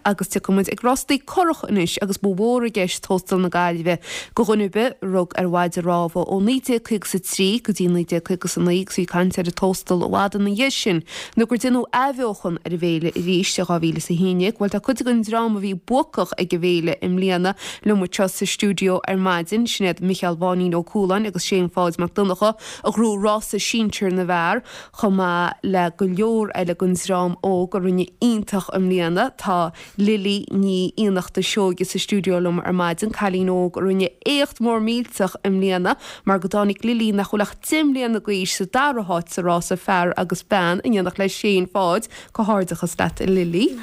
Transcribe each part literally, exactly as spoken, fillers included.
agus tiocfaidh muid ag rástaí curach anois agus ba mhór i gceist Tóstal na Gaillimhe do dhuine ar bith a rug ar mhaide rámha ó naoi déag caoga is a trí go dtí naoi déag caoga is a naoi agus bhí caint ar an Tóstal i bhfad ina dhiaidh sin nó gur deineadh athbheochan ar an bhféile arís i dhá mhíle is a haon déag. Bhuel tá cuid den dream a bhí buacach ag an bhféile i mbliana liom anseo sa stiúideo ar maidin, sin iad Micheál Mháinín Ó Cualáin agus Shane Pháid Mac Donncha a ghnóthaigh rása sinsir na bhfear, chomh maith le go leor eile den dream óg a rinne iontach i mbliana. Tá Lily Ní Fhiannachta Seoige sa stiúideo liom ar maidin, cailín óg a rinne éacht mór millteach i mbliana mar go dtáinig Lily, nach bhfuil ach deich mbliana d'aois, sa dara háit sa rása fear agus bean in éineacht le Shane Pháid. Comhghairdeachas leat a Lily.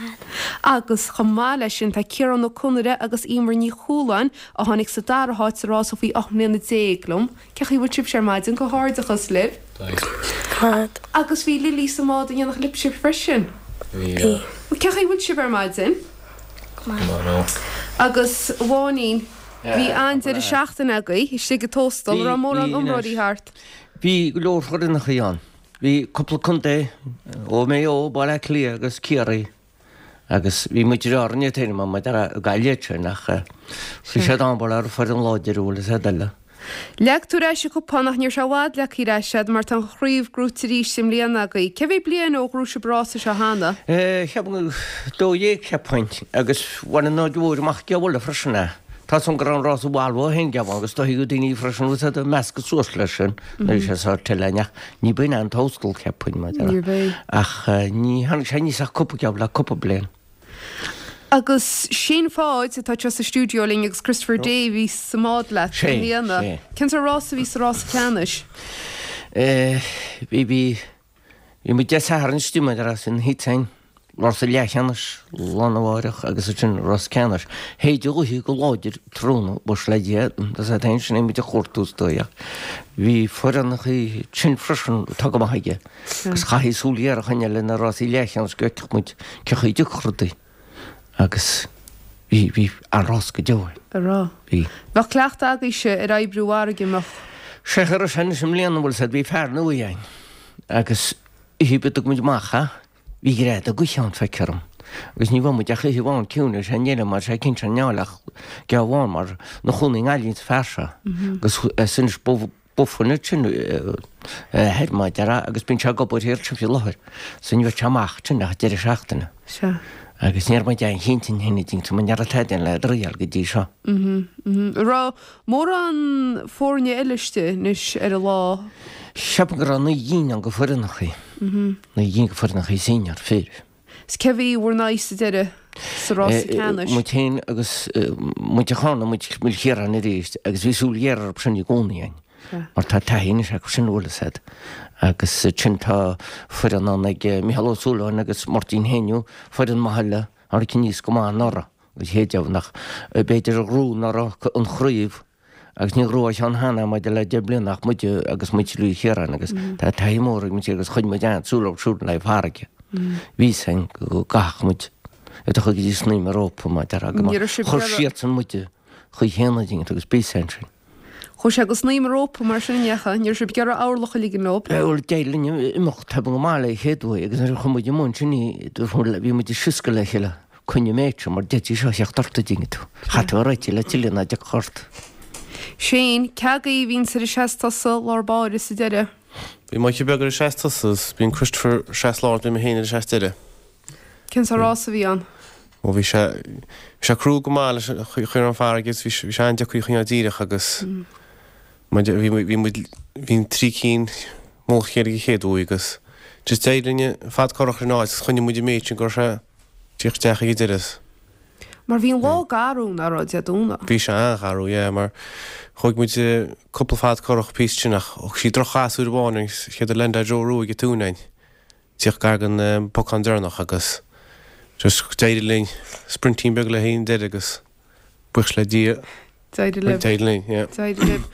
Agus chomh maith leis sin tá Ciarán Ó Conaire agus Emer Ní Chualáin a tháinig sa dara háit sa rása faoi ocht mbliana déag liom. Cén chaoi a bhfuil sibhse ar maidin? Comhghairdeachas libh. Agus bhí Lily sa mbád in éineacht libhse freisin. Bhí. Cén chaoi a bhfuil sibh ar maidin? Go maith. Agus a Mháinín, bhí an-deireadh seachtaine agaibh istigh ag Tóstal, an raibh mórán iomróirí thart? Bhí go leor foireannachaí ann. Bhí cúpla contae, ó Maigh Eo, Baile Átha Cliath agus Ciarraí. Agus bhí muid ar Árainn ag taobh amuigh de Ghaillimh sin ach bhí siad ann mar foireann láidir bhfuil fhios a'd eile. Leag tú ar ais an cupán ach ní raibh sé i bhfad leagtha ar ais a'd mar tá an chraobh gnóite arís i mbliana agaibh. Cé mhéad bliain ó ghnóthaigh sibh an rása seo cheana? Cheapaim dó dhéag cheapfainn agus bhain an Aird Mhóir amach ag bhaile freisin é. Tá 's a'm go raibh an rása Volvo féin geabhán agus do thuigeadh daoine freisin bhfuil 's a'd ag meascadh suas leis sin nuair a bhí sé sórt eile ach ní b'in an Tóstal cheapfainn mar Níorbh é. ach ní tháinig sé aníos ach cúpla geábh le cúpla bliain. Agus Shane Pháid atá anseo sa stiúideo linn agus Christopher Day a bhí sa mbád leat i Sé, mbliana. sé. Cén sórt rása a bhí sa rása ceannais? Eh, bhí, bhí, bhí muid Dé Sathairn istigh maidir as an Heat Rása leathcheannais lá arna mháireach agus ansin rás ceannais. Shéid an ghaoth go láidir tráthnóna, buíochas le Dia, tá sé féin sin muid a chuartú is dóigh ach bhí foireannachaí tinn freisin atá go maith aige agus chaithfí súil ghéar a choinneáil ar na rásaí leathcheannais go bhfeicfeadh muid cé chaoi a dtiocfadh rudaí agus bhí, bhí an-rás go deo ann. A raibh. Bhí. Bheadh cleachtadh agaibhse ar oibriú farraige, an mbeadh? Sea, cha raibh sé anois i mbliana, bhfuil 's a'd, bhí fear nua againn agus oíche a dtug muid amach é, Bhí greadadh gaoithe ann, feictear dom, agus ní bhfuair muid ach oíche amháin ciúin ar sé níl mar sé cinnte an neáil ach geábh amháin mar 'na chónaí i nGaillimh an fear seo agus is anois b'fhuinneamh sin thoir mar a déarfá agus bíonn sé ag obair thiar ansin faoi láthair so ní bheadh sé amach ansin ach deireadh seachtaine. Sea. Agus ní raibh muid aon chinnte an shin a mar ní raibh tada le draíáil go dtí seo. Mhm, mhm. An raibh mórán foirne eile istigh anois ar an lá? Ceapaim go raibh naoi gcinn ann de foireannachaí. Naoi gcinn de foireannachaí senior, fir. 'S cé bhí bhur n-aghaidh sa deireadh sa rása ceannais? Muid féin agus muintir Charna, muid Cill Chiaráin arís agus bhí súil ghéar orthu sin i gcónaí againn mar tá taithí anois acu sin bhfuil fhios a'd. Agus ansin tá foireann ann ag Micheál Ó Súilleabháin agus Máirtín Héiniú, foireann maith eile a tháinig aníos go maith anuraidh agus chéad nach b'fhéidir a ghnóthaigh anuraidh an chraobh Agus níor ghnóthaigh ceann cheana maidir le deich mbliana ach muide agus muintir Uí Chiaráin agus tá taithí mór ag muintir agus choinnigh muid an-súil orthu siúd le farraige. Bhí 'fhios a'inn go gcaithfeadh muid iad a chur go dtí snaidhm an rópa mar a déarfá go Ní raibh sibh chuir ar a- siadsan muide chaoi chéanna dínn agus bhí 'fhios a'inn sin. Chuaigh sé go snaidhm an rópa mar sin an ndeachaigh? Ní raibh sibh ag iarraidh orlach a ligean leo? Bhuel, d'éirigh linn imeacht taobh go maith le chéad uair agus nuair a chuaigh muid i mbun sin bhí muid ag sioscadh le chéile. Coinnigh an méid seo mar d'fhéadfaí seo a theacht ort a dtuigeann tú. Chaithfeá a réiteach le tuilleadh ná deich ort. Shane, cé agaibh a bhíonns ar an seas tosaigh lár báire sa deireadh? Bhí Mikey Beag ar an seas tosaigh agus bíonn Christopher seas lár bhí mé féin ar an seas deireadh. Cén sórt rás a bhí ann? Ó bhí sé bhí sé crua go maith leis an chaoi a raibh an farraige agus bhí sé an-deacair a choinneáil díreach agus bhí bhí muid bhí an trí cinn mullach a chéile ag an chéad uair agus just d'éirigh linn fad corrach ar an áit agus choinnigh muid an méid sin go raibh sé Tíocht isteach ag an deireadh. Mar bhí an lá garbh, nach raibh, Dé Domhnaigh? Bhí sé an-gharbh, yeah, mar thóig muid cúpla fad corrach píosa sin ach thug sí droch-chasadh uair amháin agus chéad a leaindeáil Joe Rua ag an tóin againn. Tíocht gar don pocán deireanach agus just d'éirigh linn sprintín beag le haghaidh an deireadh agus buíochas le Dia. D'éirigh libh. D'éirigh linn, yeah. D'éirigh libh.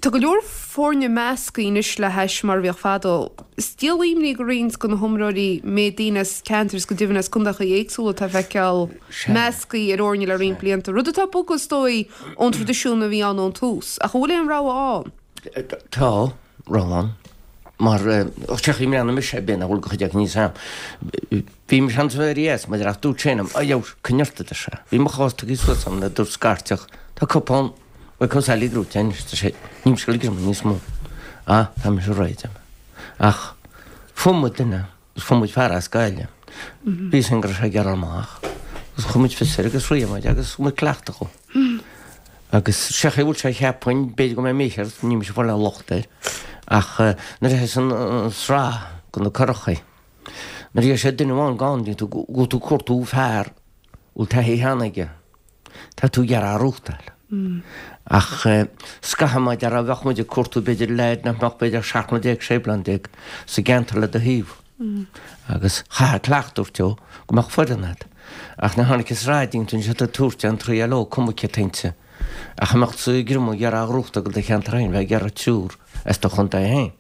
Tá go leor foirne measctha anois le hais mar a bhíodh fadó. Is díol imní do roinnt de na hiomróirí méid daoine as ceantair is go deimhin as contaetha éagsúla atá le feiceáil measctha ar fhoirne le roinnt blianta, rud atá ag bogadh is dóigh ón traidisiún a bhí ann ón tús. Ach an bhfuil aon rogha ann? Tá rogha ann. Mar sé chaoi mbliana mise ar bith nach bhfuil go chuid acu níos am. Bhí mise ansan ar dheas maidir ach dúirt sé liom, a dheabhas, coinnigh ort a deir sé. Bhí mo chás tugtha suas agam le dúirt scairteach, tá cupán Mhic Ó Sailí gnóite anois, deir sé, níl mise ag dul ag greamú níos mó. Ah, tá mise réidh, deir mé. Ach fuair muid duine, agus fuair muid fear as Gaillimh. Bhí a fhios againn go raibh sé ag iarraidh amach agus chuir muid fios air agus shroich muid agus thug muid cleachtadh dhó. Agus sé chaoi a bhfuil sé cheapfainn, b'fhéidir go mbeidh mícheart, níl mise ag fáil aon locht air, ach nuair a théas an sraith go na curachaí, nuair a bhí sé duine amháin gann, bíonn tú, go bhfuil tú ag cuartú fear a bhfuil taithí cheana aige, tá tú ag iarraidh a ghnóthachtáil. Ach scaithfidh má déarfá, bheadh muid ag cuartú b'fhéidir leaid nach mbeadh b'fhéidir seacht mbliana déag, sé bliana déag sa gceantar le do thaobh. Agus chaithfeá cleachtadh a thabhairt dó go mbeadh foireann agat. Ach nuair a tháinig an sraith déanta ansin tá tabhairt an triail leo, cuma cé t-inti. Ach a mbeadh tú ag greamú ag iarraidh a ghnóthachtáil do cheantar féin, bheith ag iarraidh triúr as do chontae féin.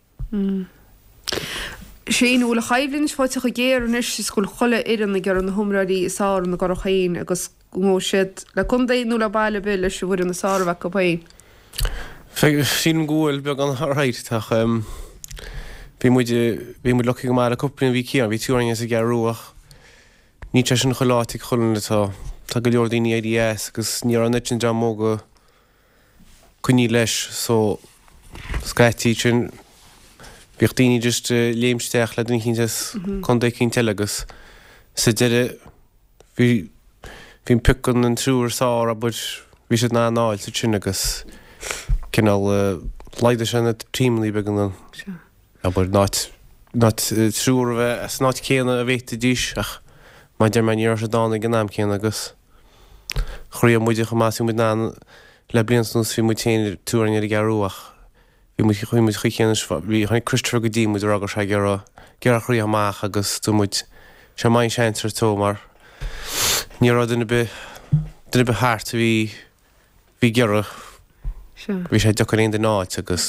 Shane, an bhfuil an choimhlint faighte chomh géar anois is go bhfuil chuile fhoireann ag iarraidh na himreoirí is fearr ina gcurach féin agus go ngabhfaidh siad le contae nó le baile ar bith leis an bhfoireann is fearr a bheith acu féin? Sílim go bhfuil, beagán alright ach bhí muid, bhí muid lucky go maith le cúpla bliain, bhí Ciarán, bhí triúr againn as an gCeathrú Rua ach níl sé sin chuile áit ag chuile dhuine, tá, tá go leor daoine éirithe as agus ní raibh an oiread sin dream óg ag coinneáil leis so scaití sin bhíodh daoine just ag léimt isteach le duine eicínt as contae eicínt eile agus sa deireadh bhí bhí an pioc an triúr is fearr abair bhí siad in ann a fháil sin agus cineál laghdaigh sé na tímeanna beaga abair in áit in áit triúr a bheith as an áit céanna a bhféadfaidís ach mar a deir mé ní raibh siad ann ag an am céanna agus chroígh muide chomh maith is bhí muid in ann le blianta anuas bhí muid féin triúr againn ar an gCeathrú ach Bhí muid, chuaigh muid chuig chéanna, bhí, tháinig Christopher go dtí muid a rá go raibh sé ag iarraidh, ag iarraidh chroí amach agus dúirt muid, sé maith an seans ar tó mar ní raibh duine ar bith, duine ar bith thart a bhí, bhí ag iarraidh, bhí sé deacair aon duine a fháilt agus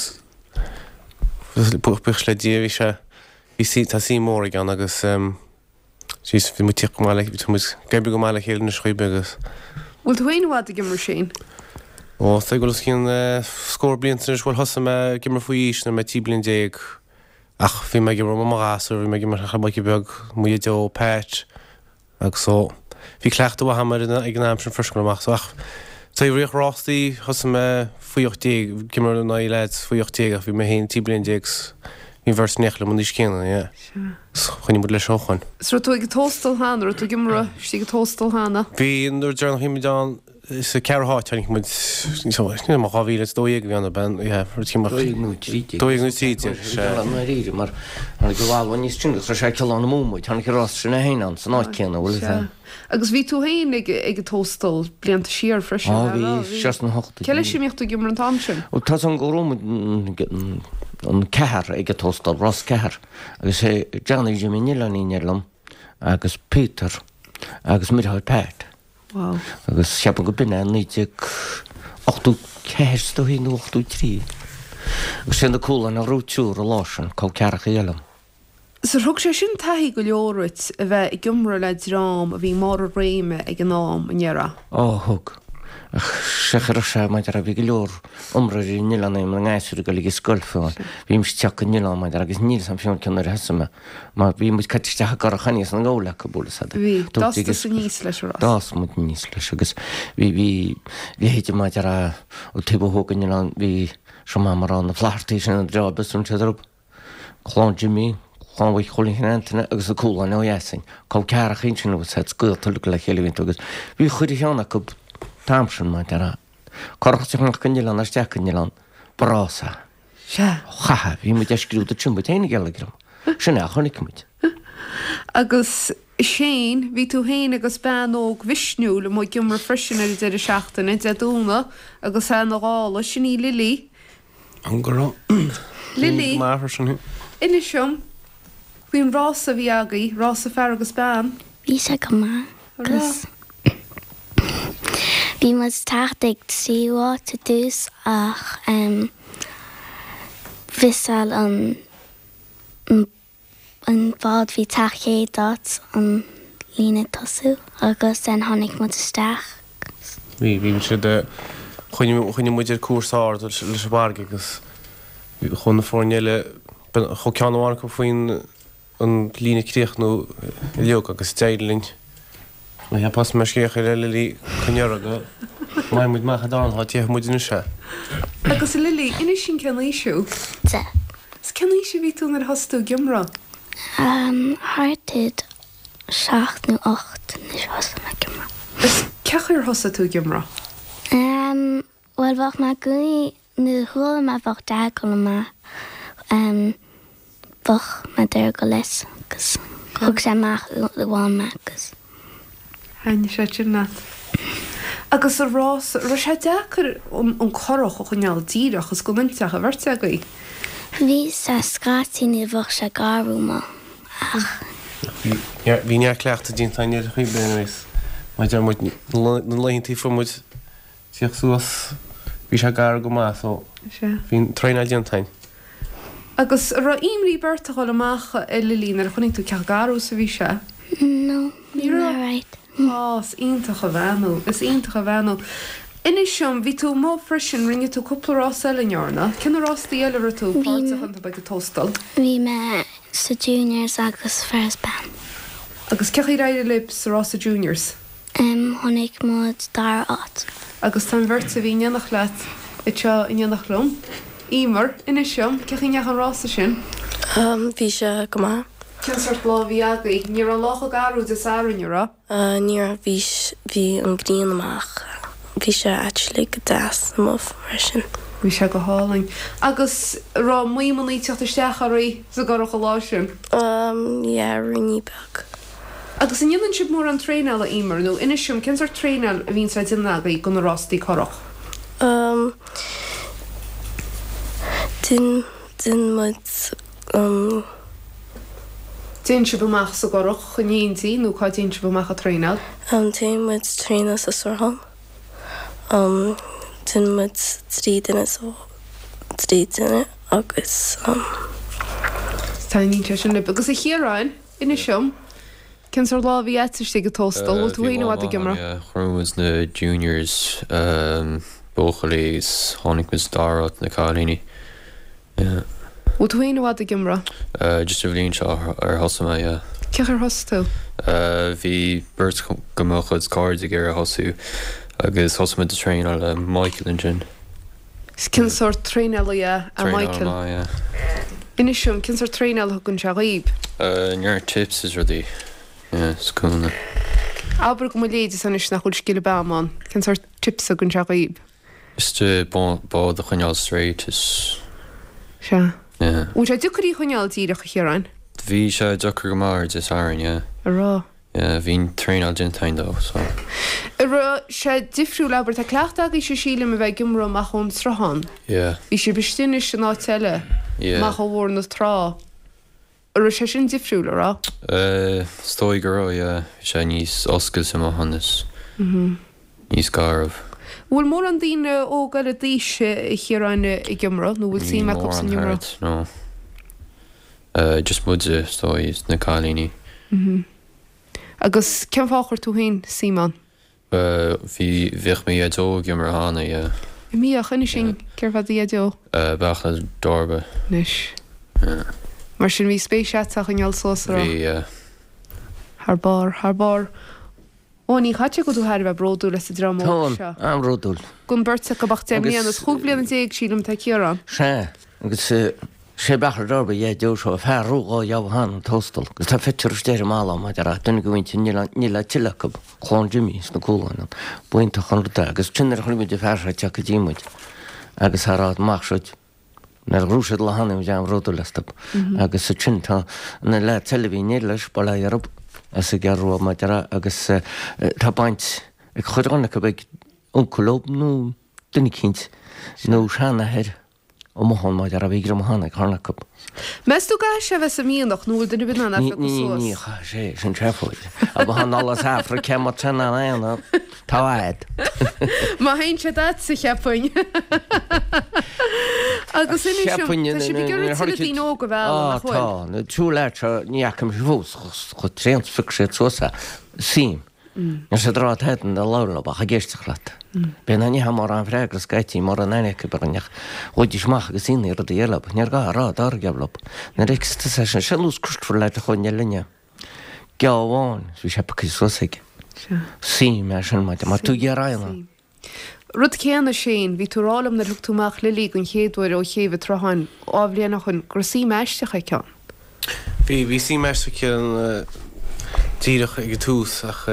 buíochas le Dia bhí sé, bhí, tá suim mór aige ann agus. Jeez, bhí muid go maith le, tá muid ag oibriú go maith le chéile anois chaoi ar bith agus. Bhfuil tú féin i bhfad ag imirt Shane? Ó, tá ag dul os cionn scór blianta anois, bhuel thosaigh mé ag imirt faoi aois nuair a bhí mé trí bliana déag ach bhí mé ag imirt ó mo ghasúr, bhí mé ag imirt le Mikey Beag, mo Dhaideo, Pat agus so bhí cleachtadh mhaith agam air ag an am sin freisin go amach so ach taobh rástaí thosaigh mé faoi ocht déag, ag imirt in aghaidh leaids faoi ocht déag ach bhí mé féin trí bliana déag 's bhí an bheirt in éineacht liom an aois céanna, yeah. 's choinnigh muid leis ó shoin. 'S raibh tú ag an Tóstal cheana, raibh tú ag imirt istigh ag an Tóstal cheana? Bhí, nuair deireanach a bhí muid ann, sa ceathrú háit tháinig muid, níl mé, dhá mhíle is dó dhéag a bhí ann ab ea, yeah, rud éigin mar. Dó dhéag nó trí déag. Dó dhéag nó trí déag, sea. I ndáiríre, mar tháinig an Bhalbha níos sine agus raibh sé ag Cill Amú muid, tháinig an rás sin é féin ann san áit céanna, bhfuil fhios a'd. Sea. Agus bhí tú féin ag ag an Tóstal blianta siar freisin, Á bhí, siar sna hochtóidí. Cé leis a mbíodh tú ag imirt an t-am sin? Bhuel tá 's agam go raibh muid an ceathar ag an Tóstal, Ros Ceathair, agus é Johnny Jimmy an Oileáin ar liom agus Peter agus mo dheartháir Pat. Wow. Agus cheapfainn go b'in é naoi déag ochtó ceathair is dóigh nó ochtó trí. Agus sé na Cúláin a ghnóthaigh triúr an lá sin, col ceathracha eile liom. 'S ar thug sé sin taithí go leor duit a bheith ag imirt le dream a bhí i mbarr a réime ag an am, an ndéarfá? Ó, thug. Ach sé chaoi a raibh sé, mar a déarfá, bhí go leor imreoirí an oileáin na ngasúir ag dul ag an scoil fiú. Bhí mise ag teacht go an oileán, mar a déarfá, agus níl 'fhios a'm fiú cén uair a thosaigh mé, mar bhí muid caite isteach i gcurach aníos an gabhal acu, bhfuil 'fhios a'd. Bhí. D'fhás tusa aníos leis, a Ross. D'fhás muid aníos leis agus bhí, bhí leithéide, mar a déarfá, ó taobh ó thuaidh den oileán, bhí, seo maith mar a rá, na Flathartaigh sin an dream a bhí orthu. Clann Jimmy, Clann Mhic Chóilín Antaine agus na Cúláin ó dheas againn. Col ceathracha ansin agus iad gaolta uilig le chéile bhí agus bhí chuile cheann acu an t-am sin mar a déarfá. Curach isteach amach go an oileán isteach go an oileán. Ba rás é. Sea. Chaithfeá, bhí muid ag scrúdú sin muid féin ag geilleagar. Sin é a chonaic muid. Agus Shane, bhí tú féin agus bean óg mhisniúil amuigh ag imirt freisin ar an deireadh seachtaine, Dé Domhnaigh, agus é ina ghála, sin í Lily. An go raibh Lily, maith freisin. Inis dom faoin rása a bhí agaibh, rása fear agus bean. Bhí sé go maith agus bhí muid teacht ag tríú háit i dtús ach mhissáil an An bád bhí teacht chéad áit an líne tosú agus then tháinig muid isteach. Bhí, bhí siad, choinnigh, choinnigh muid ar cúrsa ard leis an bhfarraige agus chuaigh na foirne eile Chuaigh ceann amháin acu faoin an líne críochnú uilig agus d'éirigh linn. Ní cheapfá mar scéal ar Lily coinneoir go mbeidh muid amach i dtarna háit théadh muid anois. Agus a Lily, inis dúinn cén aois thú? Deich. Is cén aois a bhí tú nuair a thosaigh tú ag iomramh? Thart ar seacht nó ocht nuair a thosaigh mé ag iomramh. Is cén chaoi ar thosaigh tú ag iomramh? Bhuel bheadh mé i gcónaí nuair a chuala mé bheadh Dad ag dul amach bheadh mé ag iarraidh dul leis agus thug sé amach amháin mé agus. Thaitnigh sé sin leat. Agus sa rás, raibh sé deacair an curach a choinneáil díreach is gan inteach a bheirt agaibh? Bhí sé scaití ní bheadh sé garbh maith ach. Bhí neart cleachtadh déanta againn ar chaoi ar bith anyways. Mar deir muid, na laethanta a fuair muid tíocht suas, bhí sé garbh go maith so bhí an traenáil déanta againn. Agus an raibh imní ort a dhul amach a Lily nuair a chonaic tú cé chomh garbh is a bhí sé? No, bhí mé alright. Á, is iontach a bhean thú, is iontach a bhean thú. Inis dom, bhí tú amuigh freisin, rinne tú cúpla rás eile, an ndearna? Cé na rástaí eile a raibh tú páirteach iontu ag an Tóstal? Bhí mé sa Juniors agus fear is bean. Agus cé chaoi ar éirigh libh sa rása Juniors? Tháinig muid dara áit. Agus tá an bheirt a bhí in éineacht leat anseo in éineacht liom. Emer, inis dom, cé chaoi a ndeachaigh an rása sin? Bhí sé go maith. Cén sórt lá a bhí agaibh? Ní raibh an lá chomh garbh Dé Sathairn, an raibh? Ní raibh, bhí, bhí an ghrian amach. Bhí sé actually go deas amuigh freisin. Bhí sé go hálainn. Agus raibh maidhmeanna ag teacht isteach oraibh sa gcurach an lá sin? Yeah, ruainnín beag. Agus an ndéanann sibh mórán traenála, Emer, nó inis dom, cén sórt traenáil a bhíonns á déanamh agaibh do na rástaí curach? Um, déan, déan muid, um. Téann sibh amach sa gcurach in éindí nó cá dtéann sibh amach ag traenáil? Um, téann muid traenáil sa sruthán. Um, déanann muid trí duine so trí duine agus um. Taitníonn sé sin libh. Agus a Chiaráin, inis dom, cén sórt lá a bhí agat istigh ag Tóstal? Bhfuil tú féin i bhfad ag iomramh? Yeah, chuir muid na juniors um, buachaillí is tháinig muid dara háit na cailíní. Yeah. Bhfuil tú féin i bhfad ag iomramh? Uh, just an bhliain seo ar thosaigh mé, yeah. Cé chaoi ar thosaigh tú? Uh, bhí beirt de mo chuid cairde ag iarraidh thosú agus thosaigh muid ag traenáil le Michael ansin. Is cén sórt traenálaí é Traenáil Michael? maith, yeah. Inis dom, cén sórt traenáil a thugann sé dhaoib? Uh, neart tips is rudaí. Yeah, is cúnamh. Abair go mo léid is anois nach bhfuil scil am ann. Cén sórt tips a thugann sé dhaoib? Just uh, bád a choinneáil straight is Sea. yeah. Bhfuil sé deacair í a choinneáil díreach a Chiaráin? Bhí sé deacair go maith ar Dé Sathairn, yeah. A rá. Yeah, bhí an traenáil déanta againn dó, so. An raibh sé difriúil abair tá cleachtadh agaibhse sílim a bheith ag iomramh amach ón sruthán. Yeah. Bhí sibh istigh anois in áit eile Yeah. amach ó bharr na trá. An raibh sé sin difriúil, an raibh? Uh, is dóigh go raibh, yeah. Bhí sé níos oscailte amach ann is Mhm. níos garbh. Bhfuil mórán daoine óga eile d'aois a Chiaráin ag iomramh nó bhfuil suim acu san iomramh? thart, no. Uh, just muide is dóigh is na cailíní. Mhm. Agus cén fáth ar chuir tú féin suim ann? Uh, bhí bhíodh mo dhaideo ag iomramh cheana, yeah. An mbíodh inis dúinn cérbh é do dhaideo? Uh, Beartla Darba. Anois. Yeah. Mar sin bhí spéis agat a choinneáil suas a rá. Bhí, yeah. Thar barr, thar barr. Ó ní chaite go tú thar bheith bródúil as an dream óg Táim seo. an-bhródúil. Gon beirt acu ach deich Agus- mbliana is chúig bliana déag sílim tá Ciarán. Sea, agus eh, sé Beartla Darba dhaideo seo fear rúgá dheamhan an Tóstal, agus tá phictiúr istigh ar an mballa maidir le duine go bhfuil níl níl a tuilleadh acu, clann Jimmy sna Cúláin ann. B'iontach an rud é, agus sin nuair a chonaic muid an fear seo ag teacht go dtí muid agus a rá amach seo nuair a ghnóthaigh siad lá cheana muid an-bhródúil astu. Mhm. Agus sin tá na leaid eile a bhí in éindí leis, Baile Ghirb as an gCeathrú Rua maidir le agus eh, tá baint ag chuile dhuine acu ag uncail leo nó duine eicínt nó seanathair amuigh ann maidir le bhí greim cheana ag cheana acu. Meas tú go gcaithfidh sé a bheith sa mhianach nó bhfuil duine ar bith in ann a Ní phiocadh ní suas? ní chaithfidh sé sin seafóid. A ba han as Afraic má tá an aon tá fhad. Má théann sé duitse cheapfainn. Agus inis dom, Cheapfainn tá sibh ag iarraidh tuilleadh daoine óga a mhealladh, Á nach bhfuil? tá, na triúr leaid seo ní fhaca mise fós chomh tréan phioc siad suas é. Suim. Níl siad ag rá tada nuair a labhrann leo ach ag éisteacht leat. B'é ná ní hea mórán freagra scaití mura n-aithneoidh tú orainn ach ghabhaidís amach agus ionadh rudaí eile leo. Níor ghá a rá dár gceann leo. Nuair a fheicfeas tusa é sin, sé nós Christopher leaid a chuaigh linne. Geábh amháin is bhí sé pioctha suas aige. Suim é sin maidir mar tú ag iarraidh an. Rud céanna Shane, bhí tú ag rá liom nuair a thug tú amach Lily den chéad uair ó chéibh an tsrutháin dhá bhliain ó shoin go raibh suim aisteach aici ann. Bhí, bhí suim aisteach aici ann díreach ag an tús ach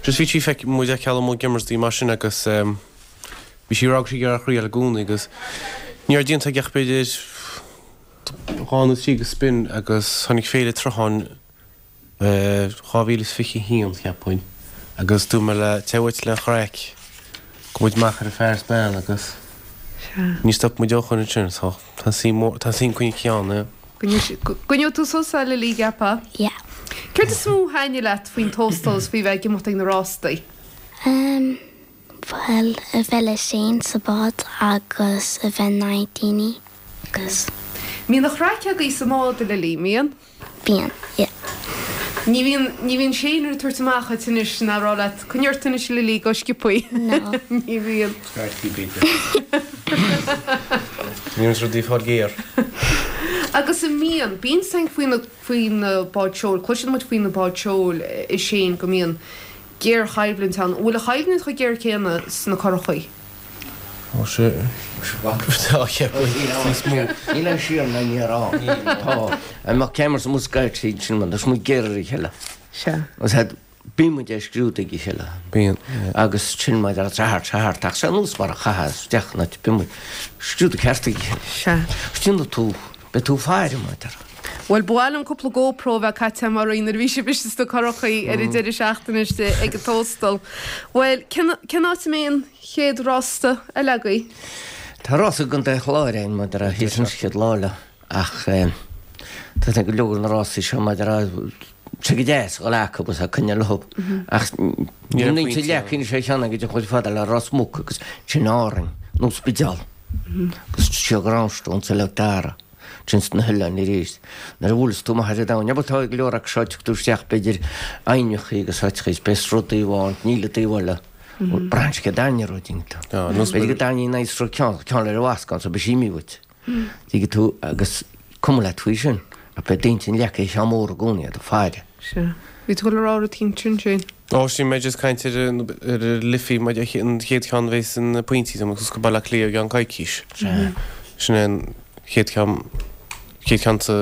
just bhí sí feic, muid ag ceal amuigh ag imirt di mar sin agus bhí sí ag rá go raibh sí ag iarraidh a thriail i gcónaí agus ní raibh déanta aici ach b'fhéidir dhá nó trí de spin agus tháinig Féile an tSrutháin dhá mhíle is fiche a haon, cheapfainn, agus dúirt mé léi, téigh uait le chraic, gabh muid amach ar an fear is bean agus ní stop muid ó shoin ansin, so tá suim mór, tá suim coinnithe ann, yeah. Go gcoinneoidh tú suas é, Lily, gceapfá? Yeah. Céard is mó a thaitnigh leat faoin Tóstal is faoi bheith ag imeacht ag na rástaí? Um, bhuel, a bheith le Shane sa bád agus a bheith in aghaidh daoine agus. Mbíonn an chraic agaibh sa mbád, a Lily, mbíonn? Bíonn, yeah. Ní bhíonn, ní bhíonn Shane ag tabhairt amach dhuit anois ná rá leat, coinnigh ort anois a Lily, go sciobthaí. No. Ní bhíonn. Scaití b'fhéidir. Ní bhíonn rudaí ag fáil géar. Agus an mbíonn, bíonn saint faoi na, faoi na báid seoil, cloiseann muid faoi na báid seoil, a Shane, go mbíonn géarchoimhlint ann. An bhfuil an choimhlint chomh géar céanna sna curachaí? Tá sé. Tá cheapfainn níos mó. Níl aon siar ná aniar ann. Tá. An mbeadh ceamara sa muscaet tríd sin mar tá muid géar ar a chéile. Sea. Agus had bíonn muid ag scrúdú ag a chéile. Bíonn. Agus sin mar a thart thart ach sé nós mar a chaitheas isteach na bíonn muid scrúdú ceart ag a chéile. Sea. Déanfaidh tú, beidh tú ag faire mar a déarfá. Bhuel, ba mhaith liom cúpla GoPro a bheith caite agam oraibh nuair a bhí sibh istigh sna curachaí ar an deireadh seachtaine istigh ag an Tóstal. Bhuel, cén cén áit a mbeidh an chéad rásta eile agaibh? Tá rása i gContae an Chláir ann maidir le thíos an chéad lá eile ach tá go leor na rásaí seo maidir le sé go deas a dhul acu agus a coinneáil leo ach Ní raibh ní pointe leac ann. sé cheana go dtí chuid fada le Ros Muc agus sin Árainn nó Spidéal agus siar go Roundstone sa Leic Dara. Sin sna hoileáin arís. Nuair a bhuaileas tú amach ar an domhan, abair tá go leor acu seo, tiocfaidh tú isteach b'fhéidir aibhneachaí agus áiteachaí is beidh sruth taobh amháin, níl an taobh eile. Braitheann sé go dtaitneoidh rud iontu. B'fhéidir go dtaitníonn an sruth ceann, ceann ar an bhascán so beidh sí imithe uait. Tuigeann tú agus cuma leat faoi sin. Ach beidh d'intinn leagtha ar cheann mór i gcónaí, ag faire. Sea. Bhí tú ag dul a rá rud éicint ansin. Ó, sin mé just caint ar an ar an Liffey, mar an chéad cheann a bheas na pointí agus go Baile Átha Cliath i gceann coicís. Sea. Sin é an chéad cheann, chéad cheann sa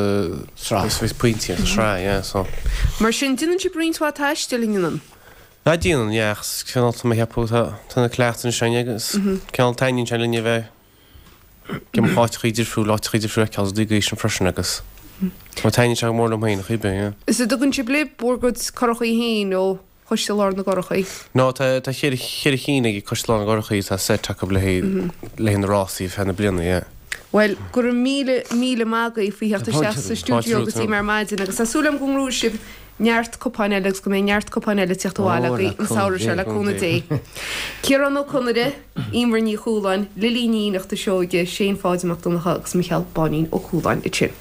Sraith. Sa pointí, sa sraith, yeah, so. Mar sin, déanann sibh roinnt mhaith taistil in ann? Ah, déanann, yeah, ach cineál tá mé ag ceapadh tá, tá na cleachtaidh anois againn agus cineál taitníonn sé linn a bheith ag imeacht áiteachaí difriúil, áiteachaí difriúil a fheiceáil is rudaí sin freisin agus tá taitníonn sé go mór liom féin, a chuibhe, yeah. Is an dtugann sibh libh bhur gcuid curachaí féin ó Choiste Lár na gCurachaí. No, tá tá cheithre cheithre chinn ag Coiste Lár na gCurachaí, tá set acu le haghaidh le haghaidh na rásaí feadh na bliana, yeah. Bhuel, go raibh míle míle maith agaibh faoi theacht isteach sa stiúideo go dtí mé ar maidin agus tá súil agam go ngnóthóidh sibh neart cupáin eile agus go mbeidh neart cupáin eile ag teacht abhaile agaibh an samhradh seo le cúnamh Dé. Ciarán Ó Conaire, Emer Ní Chualáin, Lily Ní Fhiannachta Seoige, Shane Pháid Mac Donncha agus Micheál Báinín Ó Cualáin ansin.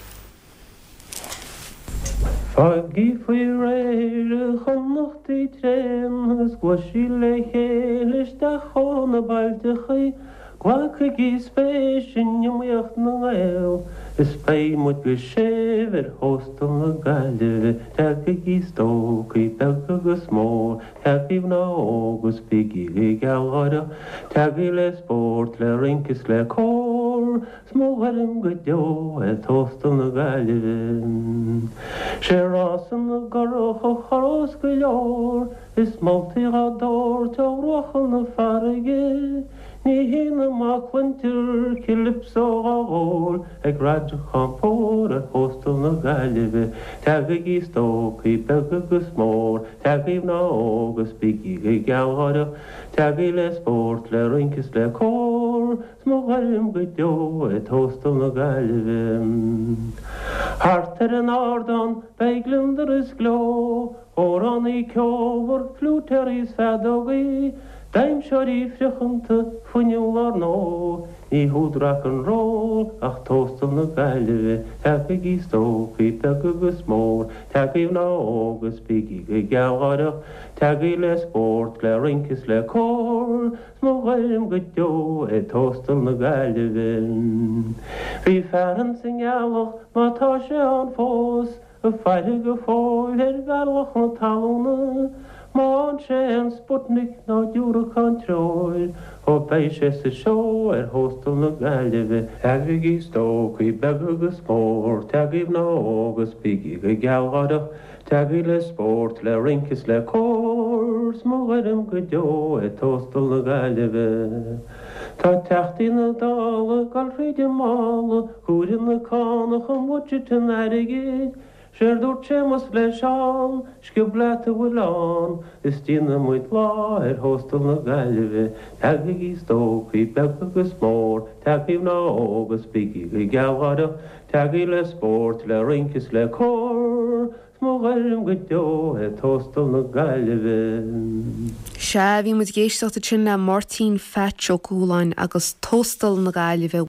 Faighigí faoi réir a Chonnachtaí tréan agus gluaisigí le chéile isteach ó na bailteachaí, glacaigí spéis in iomaíocht na nGael is beidh muid go séimh ar Thóstal na Gaillimhe. Tagaigí stócaigh beag agus mór, tagaigí mná óga is bígí gealgháireach, tagaigí le spórt, le rince is le cór. 'S mo ghairm go deo é Tóstal na Gaillimhe. 'Sé rása na gcurach a chorrós go leor, Is moltaí dhá dtabhairt ó bhruacha na farraige, Ní hionadh má cluintear calypso dhá dhól Ag radacán pór ar Thóstal na Gaillimhe. Tagaigí stócaigh beag agus mór, Tagaigí mná óga is bígí gealgháireach, Tagaigí le spórt, le rince is le cór, 'S mo ghairm go deo é Tóstal na Gaillimhe. Thart ar an ardán beidh gliondar is gleo, Amhránaí ceolmhar, fliúitéirí is feadógaí, D'aimseoirí friochanta fuinniúla ar ndóigh, ní hiúd rock and roll ach Tóstal na Gaillimhe. Tagaigí stócaigh beag agus mór, tagaigí mná óga is bígí go gealgháireach, tagaigí le spórt, le rince is le cór, 's mo ghairm go deo é Tóstal na Gaillimhe. Bhí fear ins an nGealach, má tá sé ann fós, ag faire go fóill ar bhealach na talúna, má fhaigheann sé aon Sputnik ná diúracán treoir, ó beidh sé sa seó ar Thóstal na Gaillimhe. Tagaigí stócaigh beag agus mór, tagaigí mná óga is bígí go gealgháireach, tagaigí le spórt, le rince is le cór, 's mo ghairm go deo é Tóstal na Gaillimhe. Tá teachtaí na Dála ag dul thríd an mála, ag comhaireamh na cánach i mbudget an airgid, Séard dúirt Séamus le Seán, sciob leat a bhfuil ann, is déanfaidh muid lá ar Thóstal na Gaillimhe. Tagaigí stócaigh beag agus mór, tagaigí mná óga is bígí go gealgháireach, tagaigí le spórt, le rince is le cór, 's mo ghairm go deo é Tóstal na Gaillimhe. Sea, bhí muid ag éisteacht ansin le Máirtín Pheaits Ó Cualáin agus Tóstal na Gaillimhe.